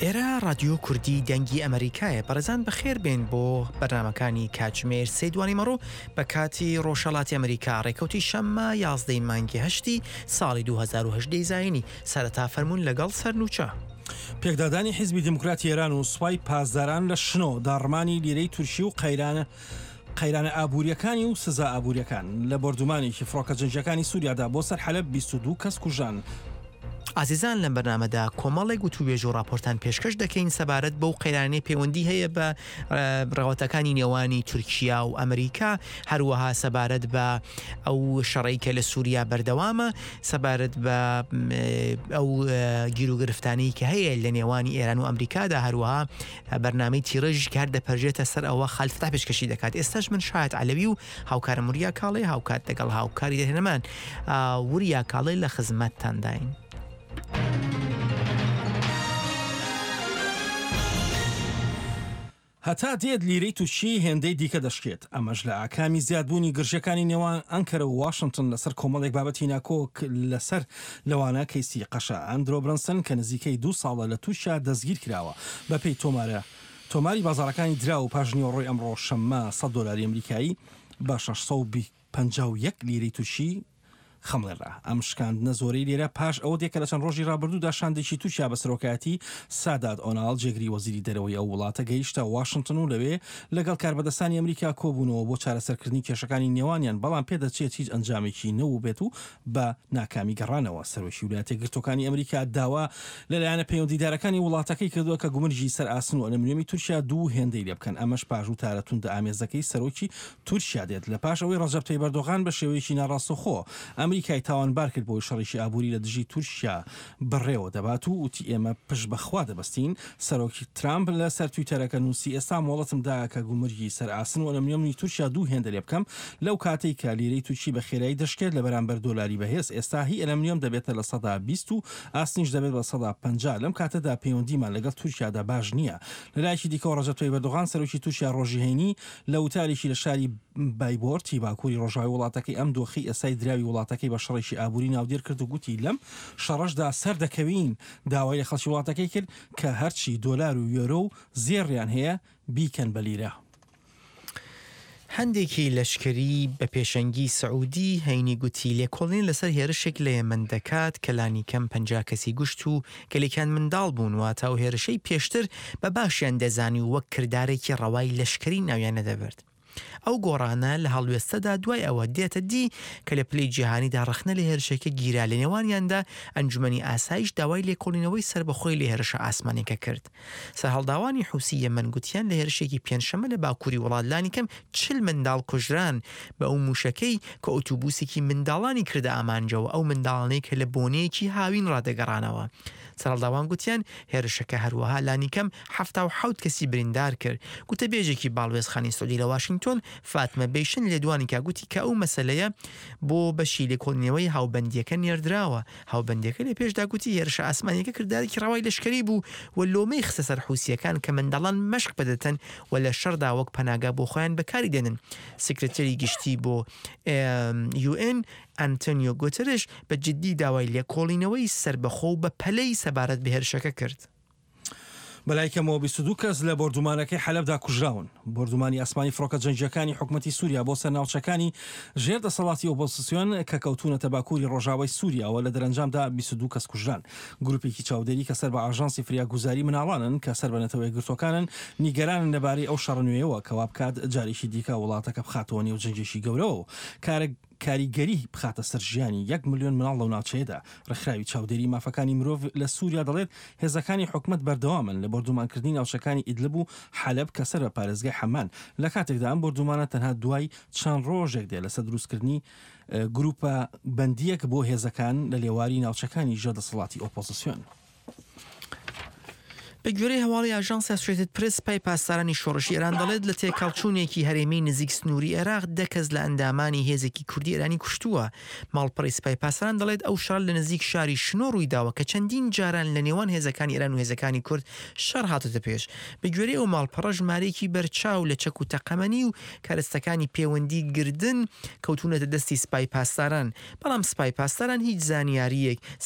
ئێرە ڕادیۆ کوردی دەنگی ئەمریکایە بەڕێزان بەخێر بێن بۆ بەرنمەکانی کاتژمێر سێ دوانی مەڕۆ بە کاتی ڕۆژهەڵاتی ئەمریکا ڕێکەوتی شەممە یازدەی مانگی هەشتی ساڵی 2010 زایینی سەرەتا فەرموون لەگەڵ سەرنوچە. پێکدادانی حیزبی دێموکراتی ئێران و سوپای پاسداران لە شنۆ، داڕمانی لیرەی تورکی و قەیرانە قەیرانە ئابوورییەکانی و سزا ئابوورییەکان. لە بۆردومانێکی فڕۆکە جەنگییەکانی سووریادا بۆ سەر حەلەب 22 کەس کوژران. ئازیزان لەم بەرنامەدا کۆمەڵێک وتووێژ و ڕاپۆرتان پێشکەش دەکەین سەبارەت بەو قەیرانەی پەیوەندی هەیە بە ڕەوتەکانی نێوانی تورکیا و ئەمریکا، هەروەها سەبارەت بە ئەو شەڕەی کە لە سووریا بەردەوامە، سەبارەت بە ئەو گیروگرفتانەی کە هەیە لە نێوانی ئێران و ئەمریکادا، هەروەها بەرنامەی تیڕێژیش کە هەر دەپەرژێتە سەر ئەوە خالید فەتاح پێشکەشی دەکات. ئێستاش من شایەت عەلەوی و هاوکارم وریا کاڵێ هاوکات لەگەڵ هاوکاری دەرهێنەرمان وریا کاڵێ لە خزمەتتانداین. هەتا دێت لیرەی تورکی هێندەی دیکە دەشکێت، ئەمەش لە ئاکامی زیادبوونی گرژییەکانی نێوان ئەنکەرە و واشنتن لەسەر کۆمەڵێک بابەتی ناکۆک لەسەر، لەوانە کەیسی قەشە ئەندرۆ برەنسن کە نزیکەی دوو ساڵە لە تورکیا دەستگیرکراوە. بەپێی تۆمارە تۆماری بازاڕەکانی دراو پاشنیوەڕۆی ئەمڕۆ شەممە سەد دۆلاری ئەمریکایی بە 651 لیرەی تورکی خەمڵێنرا. ئەم شکاندنە زۆرەی لیرە پاش ئەوە دێ کە لە چەند ڕۆژی ڕابردوودا شاندێکی تورکیا بە سەرۆکایەتی سادات ئۆناڵ جێگری وەزیری دەرەوەی ئەو وڵاتە گەیشتە واشنتن و لەوێ لەگەڵ کاربەدەستانی ئەمریکا کۆبوونەوە بۆ چارەسەرکردنی کێشەکانی نێوانیان بەڵام پێدەچێت هیچ ئەنجامێکی نەوبێت و بە ناکامی گەڕانەوە. سەرۆکی ولایەتە یەکگرتووەکانی ئەمریکا داوا لە لایەنە پەیوەندیدارەکانی وڵاتەکەی کردووە کە گومرگی سەر ئاسن و ئەلەمنیۆمی تورکیا دوو هێندەی لێبکەن، ئەمەش پاش وتارە توندئامێزەکەی سەرۆکی تورکیا دێت لە پاش ئەوەی ڕەجەب تەیب ئەردۆغان بە شێوەیەکی ناڕاستەوخۆ ئەمریکای تاوانبار کرد بەوەی شەڕێکی ئابووری لە دژی تورکیا بەڕێوە دەبات و وتی ئێمە پشت بە خوا دەبەستین. سەرۆک ترامپ لە سەر تویتەرەکە نووسی ئێستا مۆڵەتم دا کە گومرگی سەر ئاسن و ئەلەمنیۆمی تورکیا دوو هێندە لێ بکەم لەو کاتەی کە لیرەی تورکی بە خێرایی دەشکێت لە بەرامبەر دۆلاری بەهێز ئێستا هی ئەلەمنیۆم دەبێتە 20% و ئاسنیش دەبێت بە 50% لەم کاتەدا پەیوەندیمان لەگەڵ تورکیادا باش نییە. لە لایەکی دیکەوە ڕەجەب تەیب ئەردۆغان سەرۆکی تورکیا ڕۆژی هەینی لە وتارێکی لە شاری بایبۆرتی باکووری ڕۆژاوای وڵاتەکەی ئەم دۆخەی ئێستای دراوی وڵاتەکەی بە شەڕێکی ئابووری ناودێر کرد و گوتی لەم شەڕەشدا سەردەکەوین داوای لە خەڵکی وڵاتەکەی کرد کە هەرچی دۆلار و یۆرۆ و زێڕیان هەیە بیکەن بە لیرە. هەندێکی لەشکری بە پێشەنگی سعودی هەینی گوتی لێکۆڵین لەسەر هێرشێک لە یەمەن دەکات کە لانیکەم 50 کەسی گوشت و گەلێکیان منداڵ بوون، واتە ئەو هێرشەی پێشتر بە باشیان دەزانی و وەک کردارێکی ڕەوای لەشکری ناویان نەدەبرد. ئەو گۆڕانە لە هەڵوێستەدا دوای ئەوە دێتە دی کە لە پلەی جیهانیدا ڕەخنە لە هێرشەکە گیرا لە نێوانیاندا ئەنجومەنی ئاسایش داوای لێکۆڵینەوەی سەربەخۆی لە هێرشە ئاسمانیەکە کرد. سەرهەڵداوانی حوسی یەمەن گوتیان لە هێرشێکی پێنجشەممە لە باکووری وڵات لانیکەم 40 منداڵ کوژران بە ئەو مووشەکەی کە ئۆتوبوسێکی منداڵانی کردە ئامانجەوە ئەو منداڵانەی کە لە بۆنەیەکی هاوین ڕادەگەڕانەوە. سەرهەڵداوان گوتیان هێرشەکە هەروەها لانیکەم 77 کەسی بریندار کرد. گوتەبێژێکی باڵوێزخانەی سعودی لە واشنگتۆن فاتمە بەیشن لێدوانی کا گوتی کە ئەو مەسەلەیە بۆ بەشی لێکۆڵینەوەی هاوبەندییەکە نێردراوە. هاوبەندییەکە لە پێشدا گوتی هێرشە ئاسمانییەکە کردارێکی ڕەوای لەشکەری بوو و لۆمەی خستە سەر حوسییەکان کە منداڵان مەشق پێدەدەن و لە شەڕدا وەک پەناگا بۆ خۆیان بەکاری دێنن. سکرتێری گشتی بۆ یوئێن ئەنتۆنیۆ گوترش بە جددی داوای لێکۆڵینەوەی سەربەخۆ و بەپەلەی سەبارەت بە هێرشەکە کرد. بەلای کەمەوە 22 کەس لە بۆردومانەکەی حەلەبدا کوژراون. بۆردومانی ئاسمانی فڕۆکە جەنگییەکانی حکومەتی سوریا بۆ سەر ناوچەکانی ژێر دەسەڵاتی ئۆپۆزسیۆن کە کەوتوونەتە باکووری ڕۆژاوای سوریاوە لە دەرەنجامدا 22 کەس کوژران. گروپێکی چاودێری کە سەر بە ئاژانسی فریاگوزاری مناڵانن کە سەر بە نەتەوە یەکگرتووەکانن نیگەرانن لەبارەی ئەو شەڕە نوێیەوە کە وابکات جارێکی دیکە وڵاتەکە بخاتەوە نێو جەنگێکی گەورەوە و کارە کاریگەری بخاتە سەر ژیانی یەک ملیۆن مناڵ لەو ناوچەیەدا. ڕێکخراوی چاودێری مافەکانی مرۆڤ لە سوریا دەڵێت، هێزەکانی حکومەت بەردەوامن لە بۆردومانکردنی ناوچەکانی ئیدلب و حەلەب کە سەر بە پارێزگای حەمان، لە کاتێکدا ئەم بۆردومانە تەنها دوای چەند ڕۆژێک دێت لەسەر دروستکردنی گروپە بەندییەک بۆ هێزەکان لە لێواری ناوچەکانی ژێر دەسەڵاتی ئۆپۆزسیۆن. بە گوێرەی هەواڵی ئاژانسی ئاسۆشێتد پرێس، سپای پاسدارانی شۆڕشی ئێران دەڵێت، لە تێکهەڵچوونێکی هەرێمی نزیک سنووری عێراق دە کەس لە ئەندامانی هێزێکی کوردی ئێرانی کوشتووە. ماڵپەڕی سپای پاسداران دەڵێت، ئەو شەڕە لە نزیک شاری شنۆ ڕوویداوە کە چەندین جاران لە نێوان هێزەکانی ئێران و هێزەکانی کورد شەڕ هاتۆتە پێش. بە گوێرەی ئەو ماڵپەڕە ژمارەیەکی بەرچاو لە چەک و تەقەمەنی و کەرەستەکانی پێوەندی گردن کەوتوونەتە دەستی سپای پاسداران، بەڵام سپای پاسداران هیچ زانیارییەک.